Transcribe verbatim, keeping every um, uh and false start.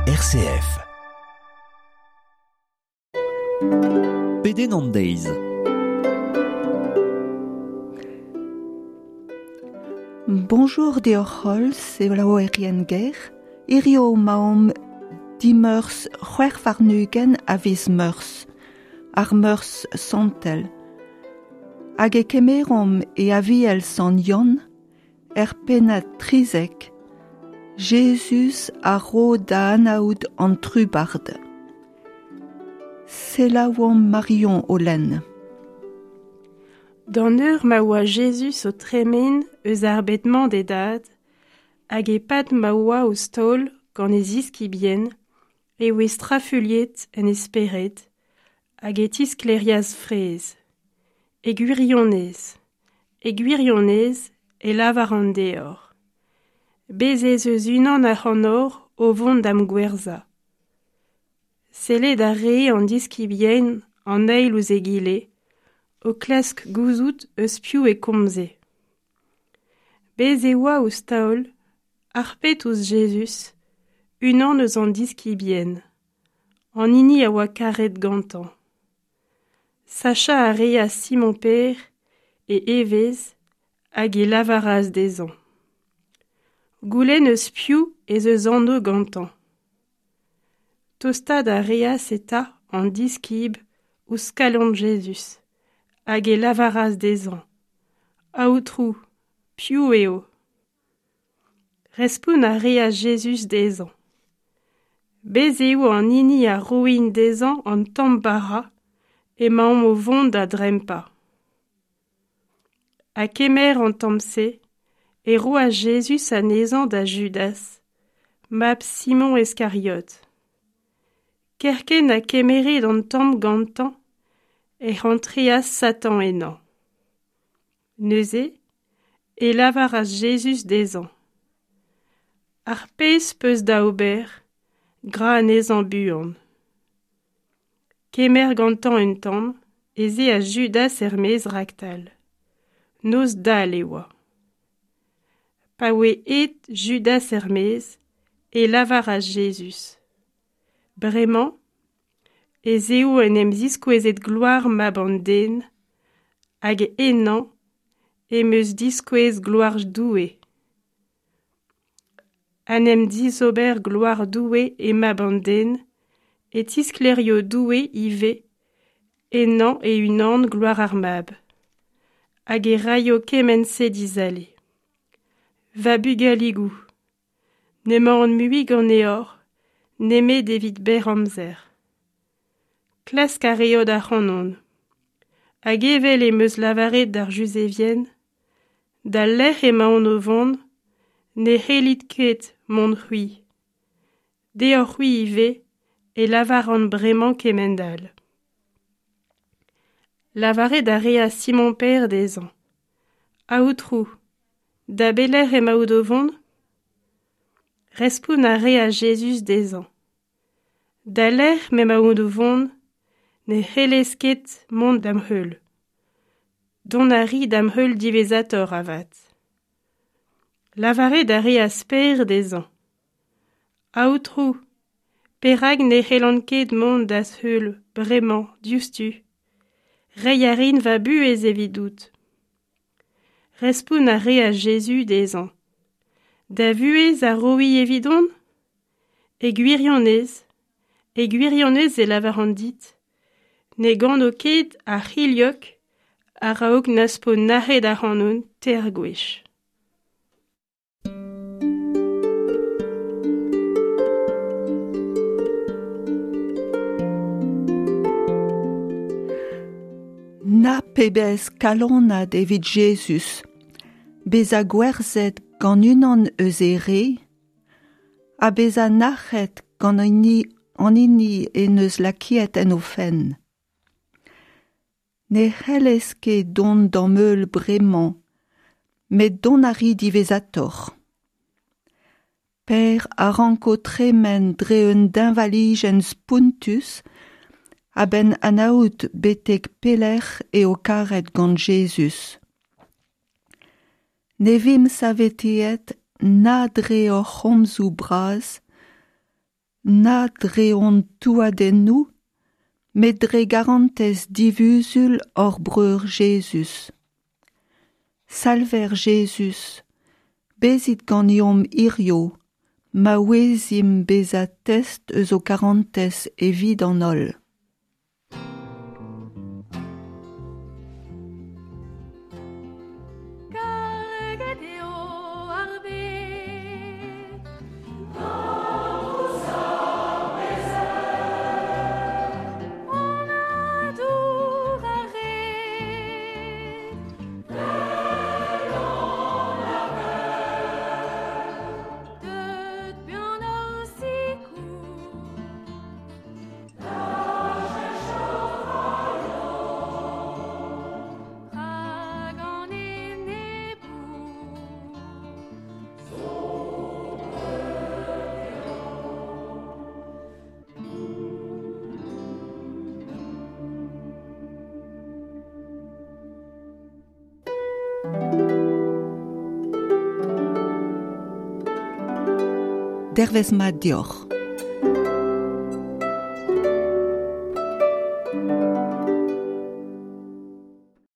R C F. Pedenn an deiz. Bonjour deoc'h holl, selaouerien ger. Hirio 'maomp dimeurzh c'hwec'h warn-ugent a viz Meurzh, ar Meurzh santel. Hag e kemeromp e Aviel Sant Yann, er pennad trizek, Jezuz a ro da anaout an trubard. Selaouomp Marion o lenn. D'an eur ma oa Jezuz o tremen eus ar bed-mañ d'e dad, hag e-pad ma oa ouzh taol gant e ziskibien, e oe strafuilhet en e spered, hag e tisklêrias fraezh. E gwirionez, e gwirionez e lavar an deoc'h. Bez' ez eus unan ac'hanoc'h o vont da'm gwerzhañ. Sellet a rae an diskibien an eil ouzh egile, o klask gouzout eus piv e komze. Bez' e oa ouzh taol, harpet ouzh Jezuz, unan eus an diskibien, an hini a oa karet gantañ. Sachañ a reas Simon-Pêr e evezh hag e lavaras dezhañ. Goulenn eus piv ez eus anv gantañ. Tostaat a reas eta an diskib ouzh kalon Jezuz, hag e lavaras dezhañ. Aotrou, piv eo? Respont a reas Jezuz dezhañ. Bez' eo an hini a roin dezhañ an tamm bara emaomp o vont da drempañ. Ha kemer an tamm-se, e roas Jezuz anezhañ da Judas, mab Simon Iskariot. Kerkent ha kemeret an tamm gantañ, ec'h antreas Satan ennañ. Neuze, e lavaras Jezuz dezhañ. Ar pezh 'peus da ober, gra anezhañ buan. Kemer gantañ un tamm, ez eas Judas er-maez raktal. Noz dall e oa. Pa oe aet Judas er-maez, e lavaras Jezuz. Bremañ, ez eo en em ziskouezet gloar mab an den, hag ennañ em eus diskouez gloar Doue. En em dizober gloar Doue e mab an den, e tisklêrio Doue ivez, ennañ e-unan gloar ar mab, hag e raio kement-se dizale. Va bugaligoù, n'emaon mui ganeoc'h, nemet evit berr amzer. Klask a reot ac'hanon. Hag evel em eus lavaret d'ar Juzevien, d'al lec'h emaon o vont, ne c'hellit ket mont c'hwi. Deoc'h-c'hwi ivez e lavaran bremañ kement-all. Lavaret a reas Simon-Pêr dezhañ. Aotrou, da belec'h emaout o vont? Respont a reas Jezuz dezhañ. Da lec'h m'emaout o vont, ne c'hellez ket mont da'm heul. Dont a ri da'm heul diwezhatoc'h avat. Lavaret a reas Pêr dezhañ. Aotrou, perak ne c'hellan ket mont da'z heul bremañ diouzhtu? Reiñ a rin va buhez evidout. Respont a reas Jezuz dezhañ. Da vuhez a roi evidon? E gwirionez, e gwirionez e lavaran dit, ne gano ket ar c'hilhog a-raok n'az po nac'het ac'hanon teir gwech. Na pebezh kalonad evit Jezuz, bezañ gwerzhet gant unan eus e re, ha bezañ nac'het gant hini an hini en deus lakaet en o fenn. Ne c'hellez ket dont d'am heul bremañ, met dont a ri diwezhatoc'h. Pêr a ranko tremen dre un deñvalijenn spontus a-benn anaout betek pelec'h eo karet gant Jezuz. Ne vimp saveteet na dre hor c'homzoù bras, Na dre hon touadennoù, met dre garantez divuzul hor breur Jezuz. Salver Jezuz, bezit ganeomp hirio, ma ouezimp bezañ test eus ho karantez evit an holl. Karget eo ar bed. An adour a red. Deut buan hor sikour. Rag an enebour. Dervez mat deoc'h.